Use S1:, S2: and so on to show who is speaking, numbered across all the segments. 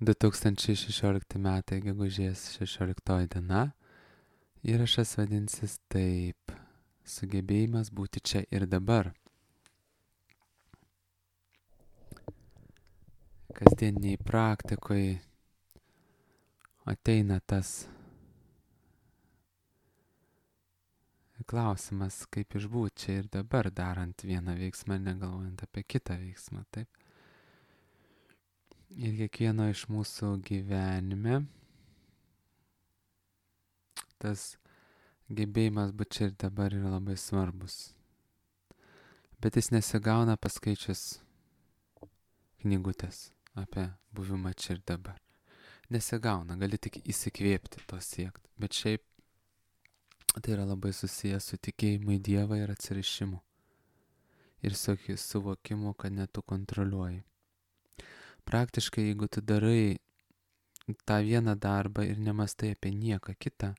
S1: 2016 metai, gegužės 16 diena. Įrašas vadinsis taip: sugebėjimas būti čia ir dabar. Kasdieniai praktikoje ateina tas klausimas, kaip išbūti čia ir dabar, darant vieną veiksmą, negalvojant apie kitą veiksmą, taip. Ir kiekvieno iš mūsų gyvenime tas gebėjimas būti čia ir dabar yra labai svarbus. Bet jis nesigauna paskaičius knygutės apie buvimą čia ir dabar. Nesigauna, gali tik įsikvėpti to siekti. Bet šiaip tai yra labai susijęs su tikėjimu į Dievą ir atsirišimu. Ir suvokimu, kad ne tu kontroliuoji. Praktiškai, jeigu tu darai tą vieną darbą ir nemastai apie nieką kitą,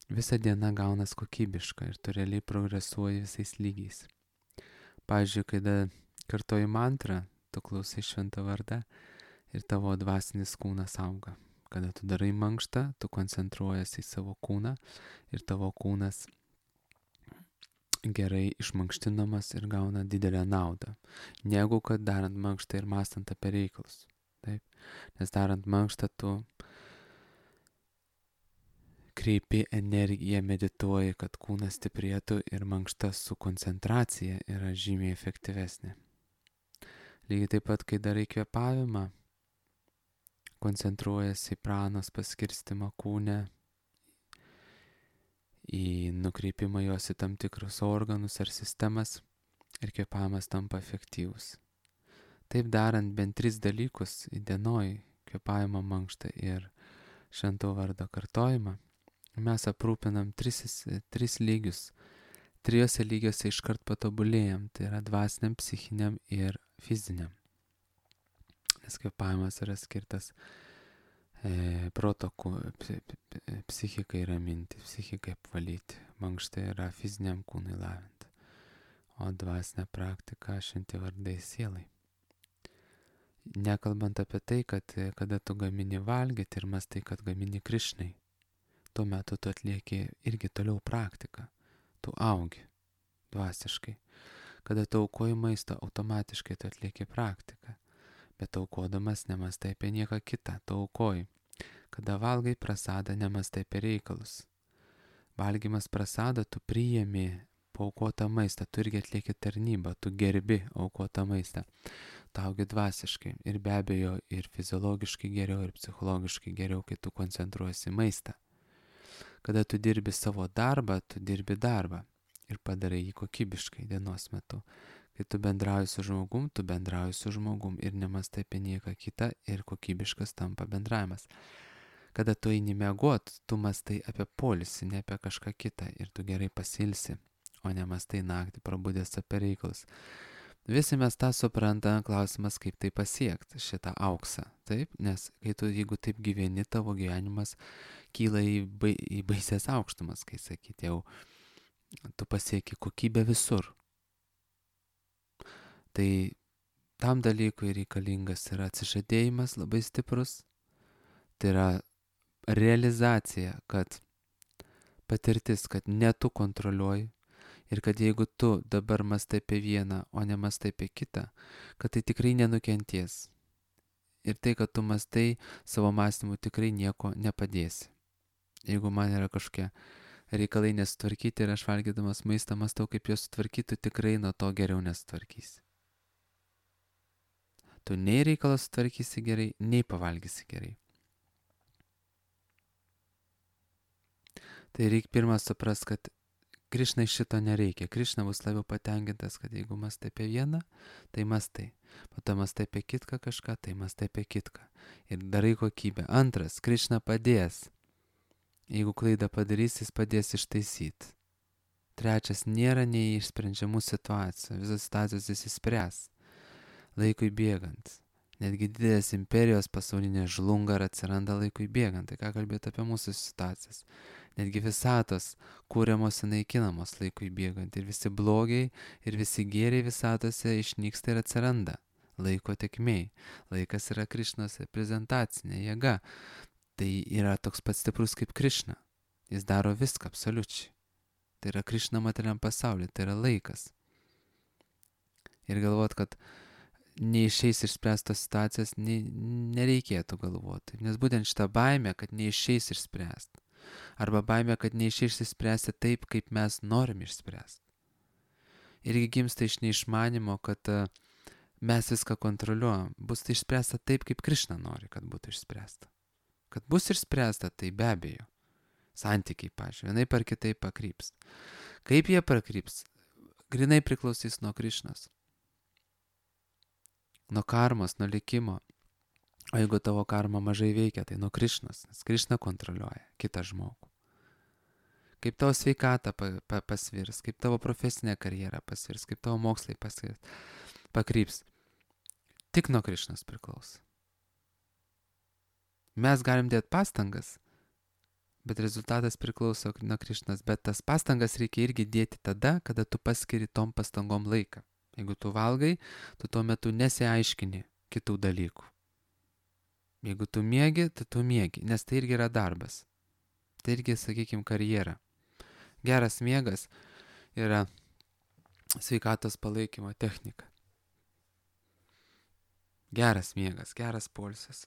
S1: visa diena gaunas kokybiška ir tu realiai progresuoji visais lygiais. Pavyzdžiui, kai kartoji mantrą, tu klausai šventą vardą ir tavo dvasinis kūnas auga. Kada tu darai mankštą, tu koncentruojasi į savo kūną ir tavo kūnas gerai išmankštinamas ir gauna didelę naudą, negu kad darant mankštą ir mąstant apie reikalus. Taip? Nes darant mankštą tu kreipi energiją, medituoji, kad kūnas stiprėtų ir mankšta su koncentracija yra žymiai efektyvesnė. Lygiai taip pat, kai darai kvėpavimą, koncentruojasi į pranos paskirstimą kūne, į nukreipimą jos į tam tikrus organus ar sistemas ir kvėpavimas tampa efektyvus. Taip darant bent 3 dalykus įdienoj, kvėpavimo, mankštą ir švento vardo kartojimą, mes aprūpinam 3 lygius. 3 lygiuose iškart patobulėjam, tai yra dvasiniam, psichiniam ir fiziniam. Nes kvėpavimas yra skirtas proto, psichikai raminti, psichikai apvalyti. Mankšta yra fiziniam kūnui lavinti, o dvasinė praktika šventi vardai sielai. Nekalbant apie tai, kad kada tu gamini valgyti ir mastai, kad gamini Krišnai, tuo metu tu atlieki irgi toliau praktiką. Tu augi dvasiškai. Kada tu aukoji maistą, automatiškai tu atlieki praktiką. Bet aukodamas nemastai apie nieką kitą, tu aukoji. Kada valgai prasadą, nemastai apie reikalus. Valgymas prasadą, tu priėmi paaukotą maistą, tu irgi atlieki tarnybą, tu gerbi aukotą maistą. Tu augi dvasiškai ir be abejo ir fiziologiškai geriau, ir psichologiškai geriau, kai tu koncentruosi maistą. Kada tu dirbi savo darbą, tu dirbi darbą ir padarai jį kokybiškai dienos metu. Kai tu bendrauji su žmogum, tu bendrauji su žmogum ir nemastai apie nieką kitą ir kokybiškas tampa bendravimas. Kada tu eini miegot, tu mastai apie poilsį, ne apie kažką kitą ir tu gerai pasilsi, o nemastai naktį prabudęs apie reikalus. Visi mes tą suprantame, klausimas, kaip tai pasiekti, šitą auksą. Taip? Nes jeigu taip gyveni, tavo gyvenimas kyla į baisės aukštumas, kai sakyti, jau tu pasieki kokybę visur. Tai tam dalykui reikalingas yra atsižadėjimas labai stiprus, tai yra realizacija, kad patirtis, kad ne tu kontroliuoji ir kad jeigu tu dabar mastai apie vieną, o ne mastai apie kitą, kad tai tikrai nenukenties. Ir tai, kad tu mastai savo mąstymu, tikrai nieko nepadėsi. Jeigu man yra kažkokie reikalai nesutvarkyti ir aš valgydamas maistą mastau, kaip juos sutvarkyti, tikrai nuo to geriau nesutvarkysi. Tu nei reikalas sutvarkysi gerai, nei pavalgysi gerai. Tai reikia pirmą supras, kad Krišnai šito nereikia. Krišna bus labiau patenkintas, kad jeigu mastai apie vieną, tai mastai. Po to mastai apie kitką kažką, tai mastai apie kitką. Ir darai kokybę. Antras, Krišna padės. Jeigu klaidą padarys, jis padės ištaisyti. Trečias, nėra neišsprendžiamų situacijų. Visas situacijos jis išspręs. Laikui bėgant. Netgi didelės imperijos pasaulinės žlunga ir atsiranda laikui bėgant. Tai ką kalbėti apie mūsų situacijas? Netgi visatos kūriamos ir naikinamos laikui bėgant. Ir visi blogiai, ir visi gėriai visatose išnyksta ir atsiranda laiko tėkmėj. Laikas yra Krišnos reprezentacinė jėga. Tai yra toks pats stiprus kaip Krišna. Jis daro viską absoliučiai. Tai yra Krišna materialiam pasauliu, tai yra laikas. Ir galvot, kad neišeis išspręstos situacijos, nereikėtų galvoti. Nes būtent šitą baimę, kad neišeis išspręsti. Arba baimę, kad neišeis išspręsti taip, kaip mes norim išspręsti. Irgi gimsta iš neišmanimo, kad mes viską kontroliuojam. Bus tai išspręsta taip, kaip Krišna nori, kad būtų išspręsta. Kad bus išspręsta, tai be abejo. Santykiai, pažiūrėjau, vienaip ar kitaip pakryps. Kaip jie pakryps, grinai priklausys nuo Krišnos. Nuo karmos, nuo likimo. O jeigu tavo karma mažai veikia, tai nuo Krišnos, nes Krišna kontroliuoja kitą žmogų. Kaip tavo sveikata pasvirs, kaip tavo profesinė karjera pasvirs, kaip tavo mokslai pakryps. Tik nuo Krišnos priklauso. Mes galim dėti pastangas, bet rezultatas priklauso nuo Krišnos. Bet tas pastangas reikia irgi dėti tada, kada tu paskiri tom pastangom laiką. Jeigu tu valgai, tu tuo metu nesiaiškini kitų dalykų. Jeigu tu miegi, tai tu miegi, nes tai irgi yra darbas. Tai irgi, sakykime, karjera. Geras miegas yra sveikatos palaikymo technika. Geras miegas, geras poilsis.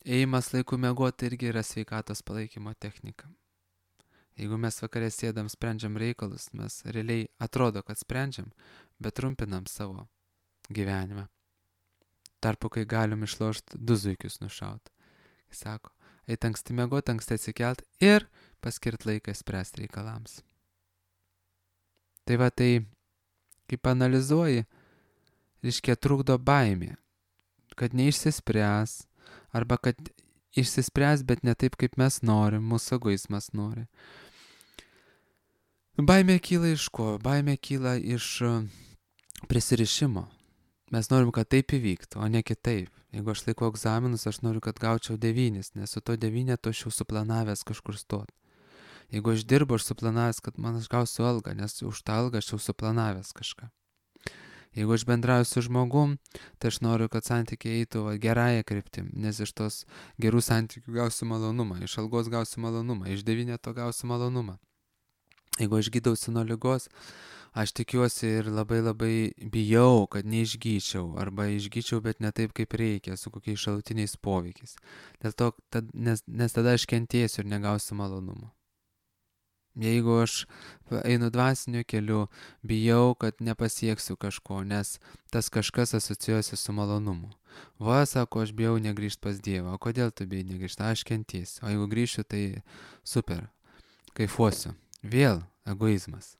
S1: Ėjimas laiku miegoti irgi yra sveikatos palaikymo technika. Jeigu mes vakarė sėdam, sprendžiam reikalus, mes realiai atrodo, kad sprendžiam, bet trumpinam savo gyvenimą. Tarpu, kai galim išlošti 2 zuikius nušauti. Jis sako, eit anksti miegoti, anksti atsikelt ir paskirt laiką spręsti reikalams. Tai va tai, kaip analizuoji, reiškia trukdo baimė, kad neišsispręs, arba kad išsispręs, bet ne taip, kaip mes norim, mūsų egoizmas nori. Baimė kyla iš ko? Baimė kyla iš prisirišimo. Mes norim, kad taip įvyktų, o ne kitaip. Jeigu aš laikau egzaminus, aš noriu, kad gaučiau 9, nes su to 9 aš jau suplanavęs kažkur stot. Jeigu aš dirbu, aš suplanavęs, kad man aš gausiu algą, nes už tą algą aš jau suplanavęs kažką. Jeigu aš bendrauju su žmogum, tai aš noriu, kad santykiai eitų gerąją kryptim, nes iš tos gerų santykių gausiu malonumą, iš algos gausiu malonumą, iš 9 gausiu malonumą. Jeigu aš gydausi nuo ligos, aš tikiuosi ir labai bijau, kad neišgyčiau, arba išgyčiau, bet ne taip, kaip reikia, su kokiais šalutiniais poveikiais. Dėl to, nes tada aš kentėsiu ir negausiu malonumo. Jeigu aš einu dvasiniu keliu, bijau, kad nepasieksiu kažko, nes tas kažkas asocijuosi su malonumu. Va, sako, aš bijau negrįžti pas Dievą. O kodėl tu bijai negrįžti? Aš kentėsiu. O jeigu grįšiu, tai super, kaifuosiu. Vėl egoizmas.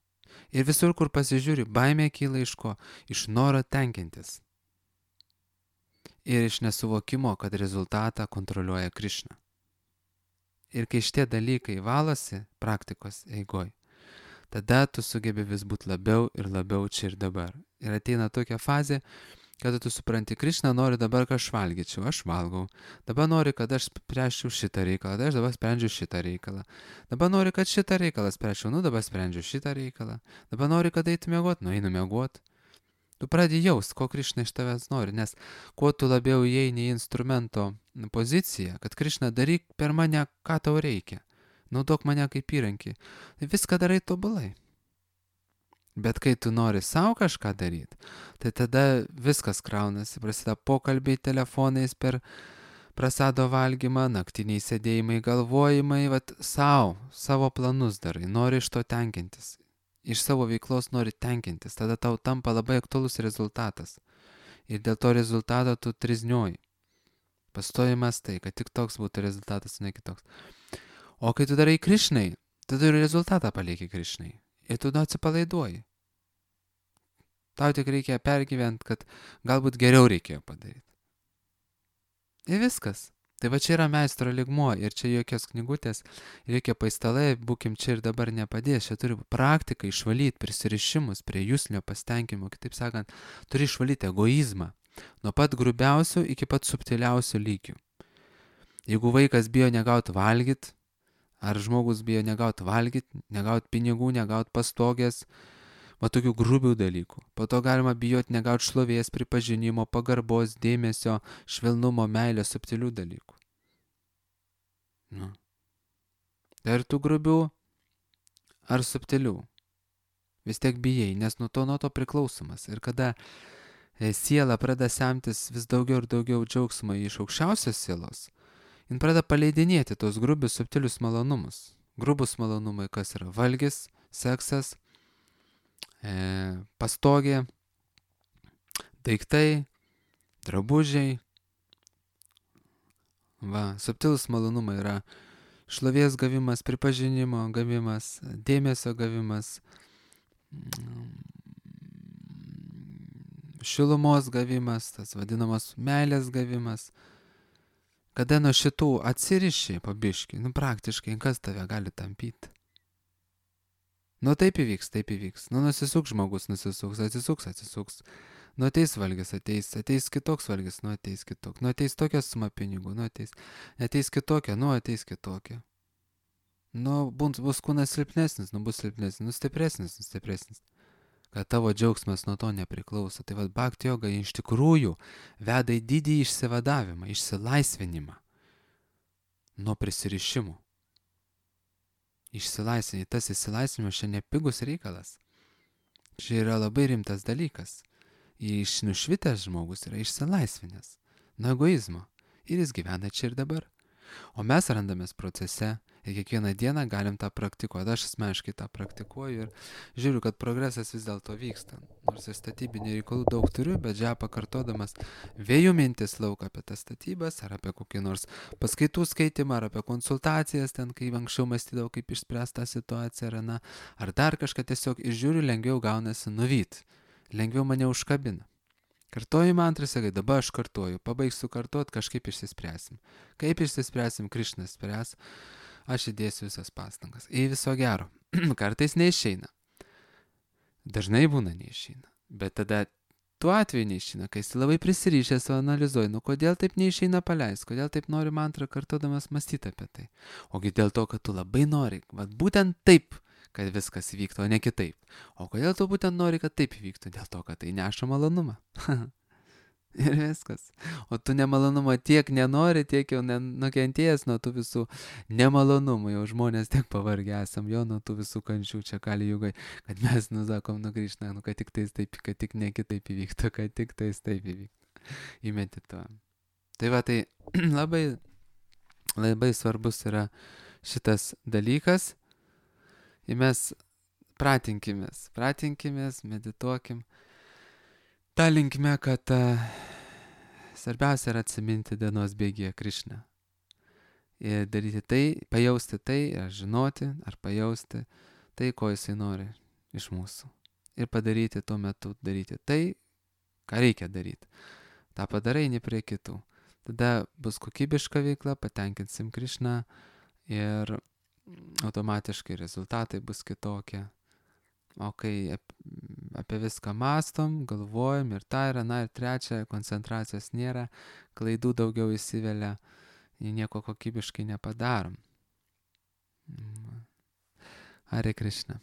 S1: Ir visur, kur pasižiūri, baimė kyla iš ko? Iš noro tenkintis. Ir iš nesuvokimo, kad rezultatą kontroliuoja Krišna. Ir kai šitie dalykai valosi praktikos eigoj, tada tu sugebi vis būti labiau ir labiau čia ir dabar. Ir ateina tokia fazė, kada tu supranti, Krišna nori dabar, kad aš valgyčiau, aš valgau. Dabar nori, kad aš spręsčiau šitą reikalą, tai aš dabar sprendžiu šitą reikalą. Dabar nori, kad šitą reikalą spręsčiau, dabar sprendžiu šitą reikalą. Dabar nori, kad eitų miegoti, einu miegoti. Tu pradedi jaust, ko Krišna iš tavęs nori, nes kuo tu labiau įeini į instrumento poziciją, kad Krišna daryk per mane, ką tau reikia. Naudok mane kaip įrankį. Tai viską darai tobulai. Bet kai tu nori savo kažką daryti, tai tada viskas kraunasi, prasideda pokalbiai telefonais per prasado valgymą, naktiniai sėdėjimai, galvojimai, savo planus darai, nori iš to tenkintis, iš savo veiklos nori tenkintis, tada tau tampa labai aktualus rezultatas. Ir dėl to rezultato tu triznioji. Pastojimas tai, kad tik toks būtų rezultatas, ne kitoks. O kai tu darai Krišnai, tada ir rezultatą palieki Krišnai. Ir tu atsipalaiduoji. Tau tik reikia pergyventi, kad galbūt geriau reikėjo padaryti. Ir viskas. Tai va čia yra meistro lygmuo ir čia jokios knygutės, jokie paistalai, būkim čia ir dabar nepadės. Čia turi praktiką išvalyti prisirišimus prie jūslinio pasitenkimo. Kitaip sakant, turi išvalyti egoizmą. Nuo pat grubiausių iki pat subtiliausių lygių. Jeigu vaikas bijo negauti valgyti, ar žmogus bijo negauti valgyti, negauti pinigų, negauti pastogės, Va tokių grubių dalykų. Po to galima bijoti negauti šlovės, pripažinimo, pagarbos, dėmesio, švelnumo, meilės, subtilių dalykų. Nu. Tai ar tų grubių, ar subtilių? Vis tiek bijai, nes nuo to priklausomas. Ir kada siela pradeda semtis vis daugiau ir daugiau džiaugsmo iš aukščiausios sielos, jin pradeda paleidinėti tos grubius, subtilius malonumus. Grubus malonumai, kas yra valgis, seksas, pastogė, daiktai, drabužiai. Va, subtilus malonumai yra šlovės gavimas, pripažinimo gavimas, dėmesio gavimas, šilumos gavimas, tas vadinamas meilės gavimas. Kada nuo šitų atsiriši pabiškai, praktiškai, kas tave gali tampyti? Taip įvyks. Nusisuks žmogus, atsisuks. Ateis valgis, ateis kitoks valgis, ateis kitoks. Ateis tokia suma pinigų, ateis kitokia, ateis kitokia. Bus kūnas silpnesnis, bus silpnesnis, stipresnis. Kad tavo džiaugsmas nuo to nepriklauso. Tai bhakti joga iš tikrųjų veda į didį išsivadavimą, išsilaisvinimą nuo prisirišimų. Tas išsilaisvinimas čia nepigus reikalas. Čia yra labai rimtas dalykas. Nušvitęs žmogus yra išsilaisvinęs nuo egoizmo ir jis gyvena čia ir dabar. O mes randamės procese ir kiekvieną dieną galim tą praktikuoti. Aš asmeniškai tą praktikuoju ir žiūriu, kad progresas vis dėlto vyksta. Nors ir statybinių reikalų daug turiu, bet pakartodamas vėjų mintis lauką apie tas statybas, ar apie kokį nors paskaitų skaitimą, ar apie konsultacijas, ten kai anksčiau mąstydavau, kaip išspręsti tą situaciją, ar dar kažką tiesiog išžiūriu, lengviau gaunasi nuvyt. Lengviau mane užkabina. Kartoju mantrą, sakai, dabar aš kartoju, pabaigsiu kartuot, kažkaip išsispręsim. Kaip išsispręsim, Krišnas spręs, aš įdėsiu visas pastangas. Į viso gero. Kartais neišeina. Dažnai būna neišeina. Bet tada tuo atveju neišeina, kai esi labai prisirišęs, analizuoji, kodėl taip neišeina paleis, kodėl taip nori mantrą kartodamas mąstyti apie tai. Ogi dėl to, kad tu labai nori, būtent taip, kad viskas vyktų, o ne kitaip. O kodėl tu būtent nori, kad taip vyktų? Dėl to, kad tai neša malonumą. Ir viskas. O tu nemalonumo tiek nenori, tiek jau nukentėjęs nuo tų visų nemalonumų. Jau žmonės tiek pavargę esam, jo nuo tų visų kančių čia kali jugai, kad mes nusakom Krišna, kad tik tais taip, kad tik ne kitaip įvyktų, kad tik tais taip įvyktų. Įmedituojam. Tai labai, labai svarbus yra šitas dalykas. Ir mes pratinkimės, medituokim. Ta linkme, kad svarbiausia yra atsiminti dienos bėgyje Krišną. Ir daryti tai, pajausti tai, ar žinoti, ar pajausti tai, ko jisai nori iš mūsų. Ir padaryti tuo metu, daryti tai, ką reikia daryti. Ta padarai, eini prie kitų. Tada bus kokybiška veikla, patenkinsim Krišną ir automatiškai rezultatai bus kitokie. O kai apie viską mąstom, galvojam ir tai yra, ir trečia, koncentracijos nėra, klaidų daugiau įsivelia, nieko kokybiškai nepadarom. Hare Krishna.